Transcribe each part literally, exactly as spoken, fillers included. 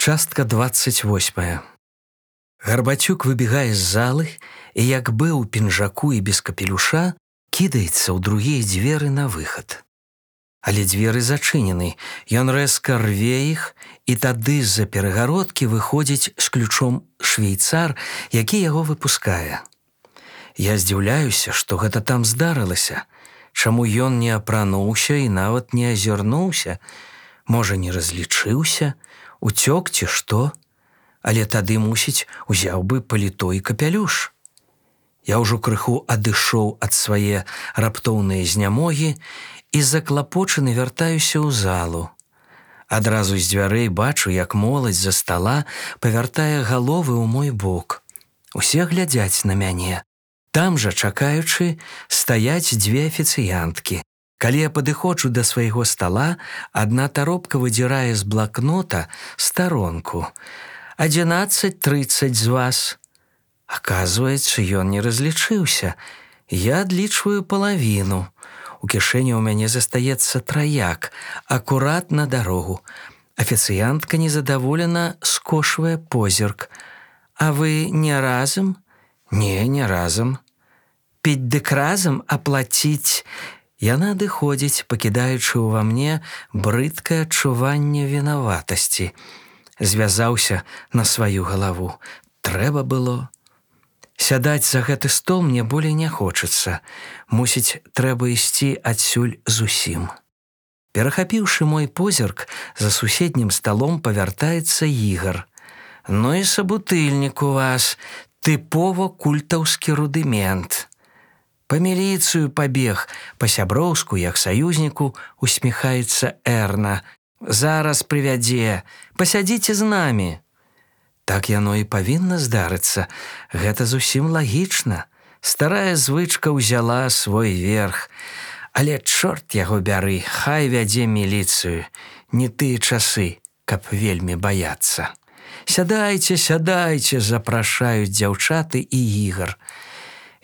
Частка двадцать восьмая. Гарбацюк выбегае з залы і, як быў у пінжаку і без капелюша, кідаецца ў другія дзверы на выхад. Але дзверы зачынены, ён рэзка рве іх, і тады з-за перагародкі выходзіць з ключом швейцар, які яго выпускае. Я здзіўляюся, што гэта там здарылася, чаму ён не апрануўся і нават не азірнуўся, можа, не разлічыўся, уцёк ці што, але тады, мусіць, узяў бы паліто і капялюш. Я ўжо крыху адышоў ад свае раптоўныя знямогі і заклапочаны вяртаюся ў залу. Адразу з дзвярэй бачу, як моладзь за стала павяртае галовы ў мой бок. Усе глядзяць на мяне. Там жа, чакаючы, стаяць дзве афіцыянткі. Калі я падыходжу да свайго стала, адна таропка выдзірае з блакнота старонку. «Адзінаццаць трыццаць з вас». Аказваецца, ён не разлічыўся. Я адлічваю палавіну. У кішэні ў мяне застаецца траяк, акурат на дарогу. Афіцыянтка незадаволена скошвае позірк. «А вы не разам?» «Не, не разам». «Піць дык разам, аплаціць?» Яна адыходзіць, пакідаючы ўва мне брыдкае адчуванне вінаватасці. Звязаўся на сваю галаву. Трэба было. Сядаць за гэты стол мне болей не хочацца. Мусіць, трэба ісці адсюль зусім. Перахапіўшы мой позірк, за суседнім сталом павяртаецца Ігар. «Ну і сабутыльнік у вас, тыпова культаўскі рудымент». «Па міліцыю пабег, па-сяброўску, як саюзніку, усміхаецца Эрна. Зараз прывядзе, пасядзіце з намі». Так яно і павінна здарыцца. Гэта зусім лагічна. Старая звычка ўзяла свой верх. Але чорт яго бяры, хай вядзе міліцыю. Не тыя часы, каб вельмі баяцца. «Сядайце, сядайце», запрашаюць дзяўчаты і Ігар.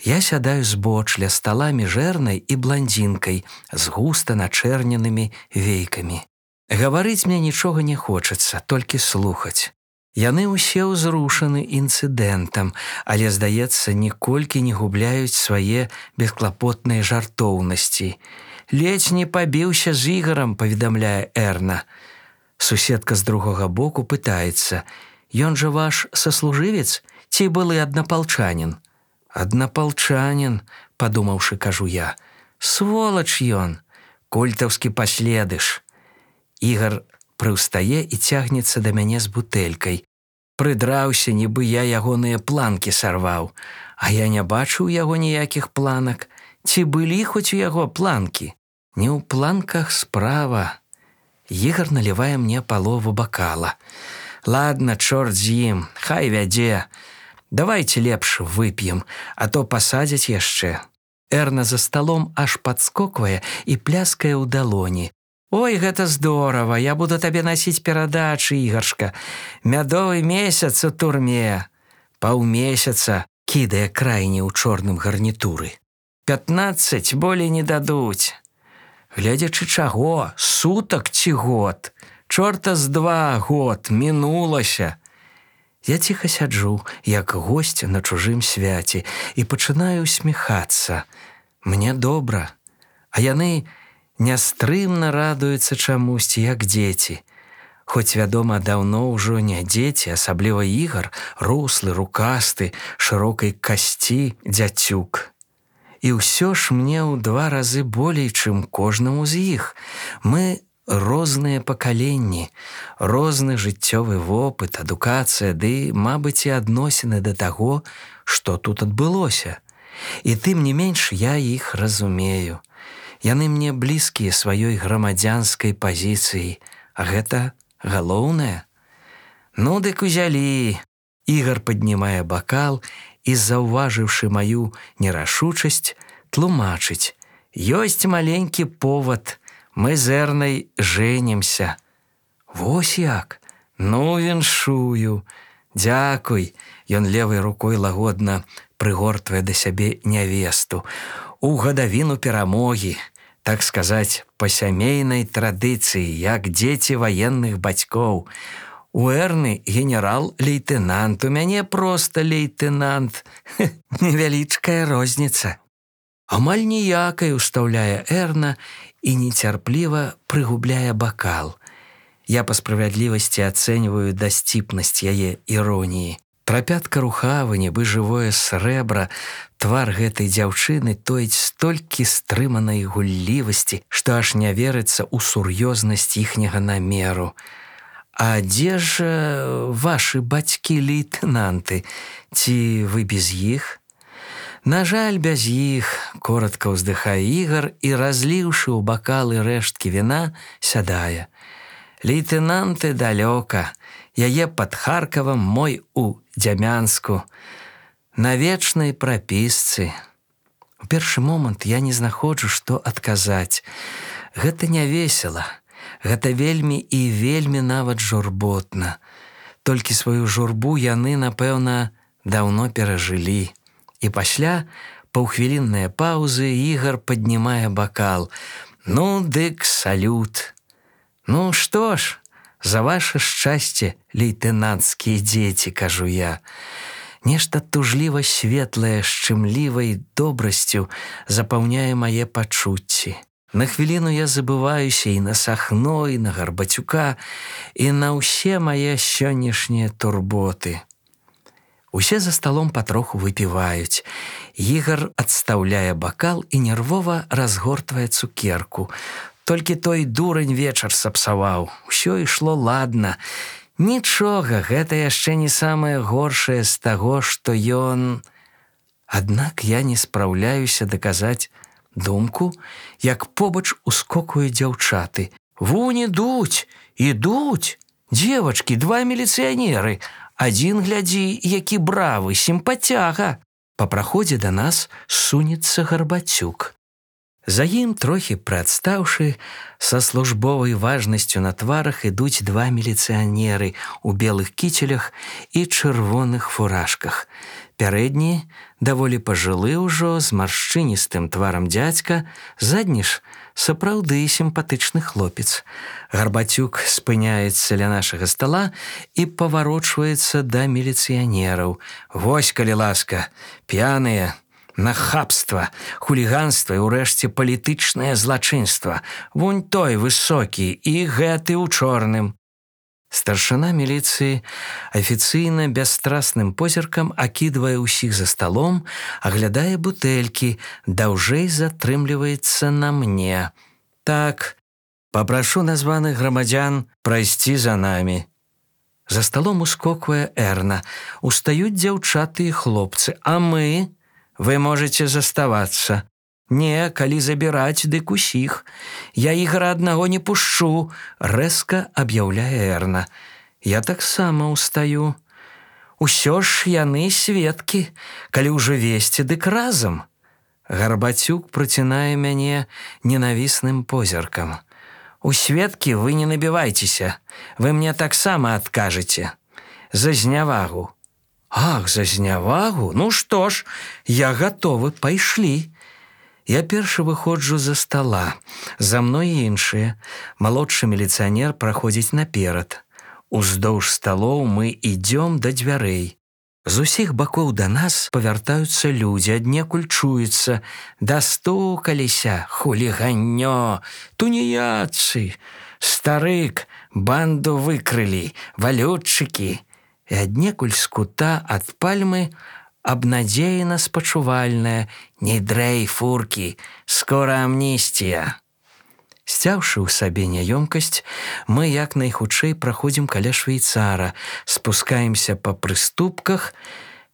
Я сядаю збоч ля стала міжэрнай і бландзінкай з густа начэрненымі вейкамі. Гаварыць мне нічога не хочацца, толькі слухаць. Яны ўсе ўзрушаны інцыдэнтам, але, здаецца, ніколькі не губляюць свае бесклапотныя жартоўнасці. «Ледзь не пабіўся з Ігарам», паведамляе Эрна. Суседка з другога боку пытаецца: «Ён жа ваш саслужывец ці былы аднапалчанін?» «Аднапалчанін», падумаўшы, кажу я. «Сволач ён, культаўскі паследыш». Ігар прыўстае і цягнецца да мяне з бутэлькай. Прыдраўся, нібы я ягоныя планкі сарваў. А я не бачу ў яго ніякіх планак. Ці былі хоць у яго планкі? Не ў планках справа. Ігар налівае мне палову бакала. «Ладно, чорт з ім, хай вядзе. Давайте лепш вып'ем, а то пасадзяць яшчэ». Эрна за сталом аж падскоквае і пляскае ў далоні. «Ой, гэта здорава, я буду табе насіць перадачы, Ігаршка. Мядовы месяц у турме». «Паўмесяца», кідае крайні ў чорным гарнітуры. «Пятнаццаць болей не дадуць». «Гледзячы чаго, сутак ці год? Чорта з два год, мінулася». Я ціха сяджу, як госць на чужым свяце, і пачынаю усміхацца. Мне добра, а яны нястрымна радуюцца чамусьці, як дзеці. Хоць, вядома, даўно ўжо не дзеці, асабліва Ігар, руслы, рукасты, шырокай касці дзяцюк. І ўсё ж мне ў два разы болей, чым кожнаму з іх. Мы розныя пакаленні, розны жыццёвы вопыт, адукацыя, ды, мабыць, і адносіны да таго, што тут адбылося. І тым не менш я іх разумею. Яны мне блізкія сваёй грамадзянскай пазіцыяй, а гэта галоўнае. «Ну, дык узялі». Ігар паднімае бакал і, заўважыўшы маю нерашучасць, тлумачыць: «Ёсць маленькі повад. Мы з Эрнай жэнімся». «Вось як? Ну, віншую». «Дзякуй». Ён левай рукой лагодна прыгортвае да сябе нявесту. «У гадавіну перамогі, так сказаць, па сямейнай традыцыі, як дзеці ваенных бацькоў. У Эрны генерал-лейтенант, у мяне проста лейтенант. Невялічкая розніца. Амаль ніякай, устаўляе Эрна і нецярпліва прыгубляе бакал. Я па справядлівасці ацэньваю дасціпнасць яе іроніі. Трапятка рухавы, нібы жывое срэбра, твар гэтай дзяўчыны тоіць столькі стрыманай гуллівасці, што аж не верыцца ў сур'ёзнасць іхняга намеру. А дзе ж вашы бацькі-лейтэнанты? Ці вы без іх? На жаль, без іх, коротка ўздыхае Ігар і, разліўшы ў бакалы рэшткі віна, сядае. Лейтэнанты далёка, яе пад Харкавам, мой у Дзямянску, на вечнай прапісцы. У першы момант я не знаходжу, што адказаць. Гэта не весела, гэта вельмі і вельмі нават журботна. Толькі сваю журбу яны, напэўна, даўно перажылі. І пасля паўхвілінныя паўзы Ігар паднімае бакал. Ну, дык салют. Ну, што ж, за ваше шчасце, лейтэнанцкія дзеці, кажу я. Нешта тужліва светлае, шчымлівай добрасцю запаўняе мае пачуцці. На хвіліну я забываюся і на Сахно, і на Гарбацюка, і на ўсе мае сённяшнія турботы. Усе за сталом патроху выпіваюць. Ігар адстаўляе бакал і нервова разгортвае цукерку. Толькі той дурань вечар сапсаваў. Усё ішло ладна. Нічога, гэта яшчэ не самае горшае з таго, што ён... Аднак я не спраўляюся даказаць думку, як побач ускокваюць дзяўчаты. Вунь ідуць, ідуць! Дзевачкі, два міліцыянеры. Адзін, глядзі, які бравы, сімпацяга. Па праходзе да нас сунецца Гарбацюк. За ім, трохі прыадстаўшы, са службовай важнасцю на тварах ідуць два міліцыянеры у белых кіцелях і чырвоных фуражках. Пярэдні, даволі пажылы ўжо, з маршчыністым тварам дзядзька, задні ж сапраўды сімпатычны хлопец. Гарбацюк спыняецца ля нашага стала і паварочваецца да міліцыянераў. Вось, калі ласка, п'яныя, нахабства, хуліганства і ўрэшце палітычнае злачынства. Вунь той высокі і гэты ў чорным. Старшына міліцыі афіцыйна бясстрасным позіркам акідвае ўсіх за сталом, аглядае бутэлькі, даўжэй затрымліваецца на мне. Так, папрашу названых грамадзян прайсці за намі. За сталом ускоквае Эрна. Устаюць дзяўчаты і хлопцы. А мы? Вы можете заставацца. Не, калі забіраць, дык усіх. Я Ігара аднаго не пушчу, рэзка аб'яўляе Эрна. Я таксама устаю. Усё ж яны сведкі, калі ўжо весці, дык разам. Гарбацюк працінае мяне ненавісным позіркам. У сведкі вы не набівайцеся, вы мне таксама адкажаце. За знявагу. Ах, за знявагу? Ну што ж, я гатовы, пайшлі. Я першы выходжу за стала, за мной іншыя. Малодшы міліцыянер праходзіць наперад. Уздоўж сталоў мы ідём да дзвярэй. З усіх бакоў да нас павяртаюцца людзі, аднекуль чуецца. Дастукаліся, хуліганнё, туніяцы, старык, банду выкрылі, валютчыкі. І аднекуль з кута ад пальмы абнадзеяна спачувальная: «Не дрэй, фуркі, скора амністія». Сцяўшы ў сабе няёмкасць, мы як найхутчэй праходзім каля швейцара, спускаемся па прыступках.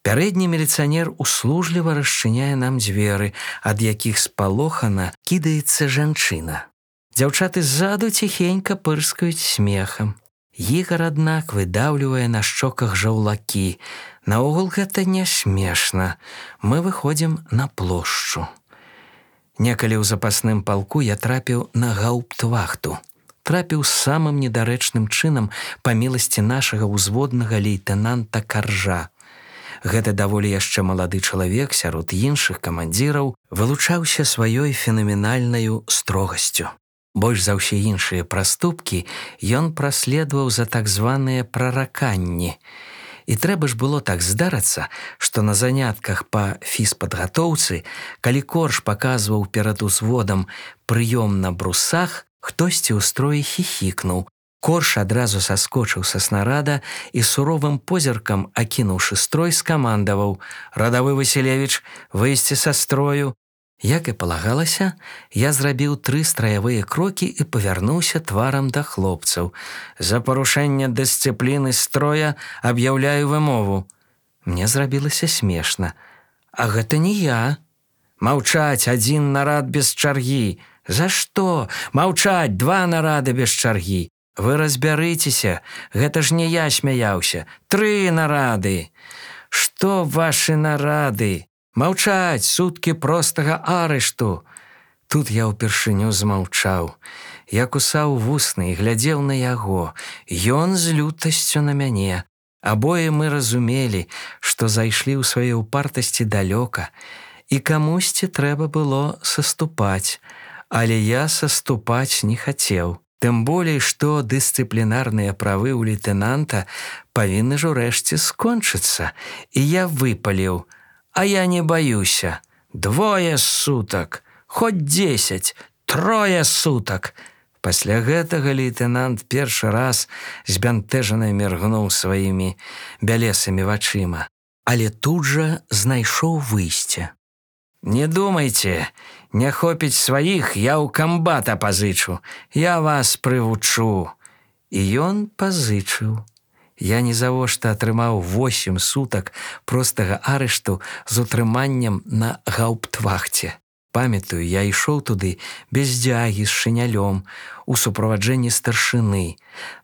Пярэдні міліцыянер услужліва расчыняе нам дзверы, ад якіх спалохана кідаецца жанчына. Дзяўчаты ззаду ціхенька пырскаюць смехам. Ігар, аднак, выдаўлівае на шчоках жаўлакі. Наогул гэта не смешна. Мы выходзім на плошчу. Некалі ў запасным палку я трапіў на гауптвахту. Трапіў самым недарэчным чынам па міласці нашага ўзводнага лейтэнанта Каржа. Гэты даволі яшчэ малады чалавек сярод іншых камандзіраў вылучаўся сваёй фенаменальнаю строгасцю. Больш за ўсе іншыя праступкі ён праследаваў за так званыя прараканні. І трэба ж было так здарыцца, што на занятках па фізпадгатоўцы, калі корж паказваў перад узводам прыём на брусах, хтосьці ў строі хіхікнуў. Корж адразу саскочыў са снарада і суровым позіркам, акінуўшы строй, скамандаваў: «Радавы Васілевіч, выйсці са строю!» Як і палагалася, я зрабіў тры страявыя крокі і павярнуўся тварам да хлопцаў. «За парушэнне дысцыпліны строя аб'яўляю вымову». Мне зрабілася смешна. «А гэта не я». «Маўчаць, адзін нарад без чаргі». «За што? Маўчаць, два нарады без чаргі». «Вы разбярыцеся, гэта ж не я смяяўся. Тры нарады». «Што вашы нарады? Маўчаць, суткі простага арышту». Тут я ўпершыню змаўчаў. Я кусаў вусны і глядзеў на яго. Ён з лютасцю на мяне. Абое мы разумелі, што зайшлі ў сваёй упартасці далёка, і камусьці трэба было саступаць, але я саступаць не хацеў. Тым болей, што дысцыплінарныя правы ў лейтэнанта павінны ж урэшце скончыцца, і я выпаліў: «А я не баюся. Двое сутак, хоць дзесяць, трое сутак». Пасля гэтага лейтэнант першы раз збянтэжана міргнуў сваімі бялесымі вачыма, але тут жа знайшоў выйсце. «Не думайце, не хопіць сваіх, я ў камбата пазычу, я вас прывучу». І ён пазычыў. Я нізавошта атрымаў восем сутак простага арышту з утрыманнем на гаўптвахце. Памятаю, я ішоў туды без дзягі, з шынялём, у суправаджэнні старшыны.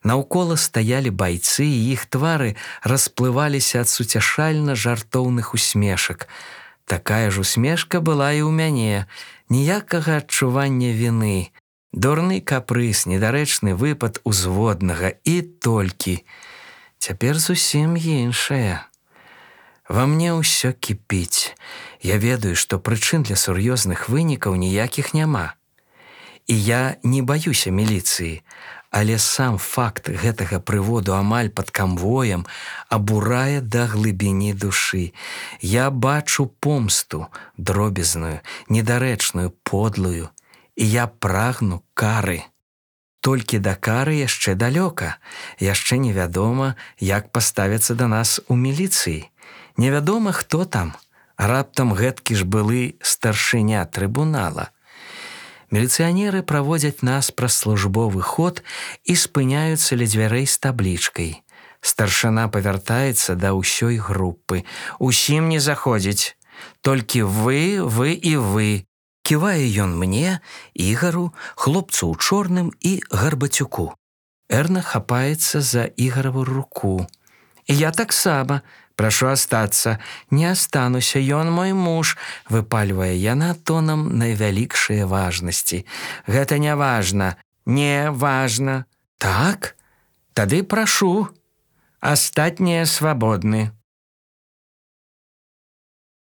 Наўкола стаялі байцы, і іх твары расплываліся ад суцяшальна жартоўных усмешак. Такая ж усмешка была і ў мяне, ніякага адчування віны. Дурны капрыз, недарэчны выпад узводнага і толькі. Цяпер зусім іншае. Ва мне ўсё кіпіць. Я ведаю, што прычын для сур'ёзных вынікаў ніякіх няма. І я не баюся міліцыі, але сам факт гэтага прыводу амаль пад канвоем абурае да глыбіні душы. Я бачу помсту, дробязную, недарэчную, подлую, і я прагну кары. Толькі да кары яшчэ далёка, яшчэ невядома, як паставяцца да нас у міліцыі. Невядома, хто там, раптам гэткі ж былы старшыня трыбунала. Міліцыянеры праводзяць нас праз службовы ход і спыняюцца ля дзвярэй з таблічкай. Старшына павяртаецца да ўсёй групы. «Усім не заходзіць, толькі вы, вы і вы». Ківае ён мне, Ігару, хлопцу ў чорным і Гарбацюку. Эрна хапаецца за Ігараву руку. «Я таксама. Прашу астацца. Не астануся, ён мой муж», выпальвае яна тонам найвялікшае важнасці. «Гэта не важна. Не важна». «Так? Тады прашу. Астатнія свабодны».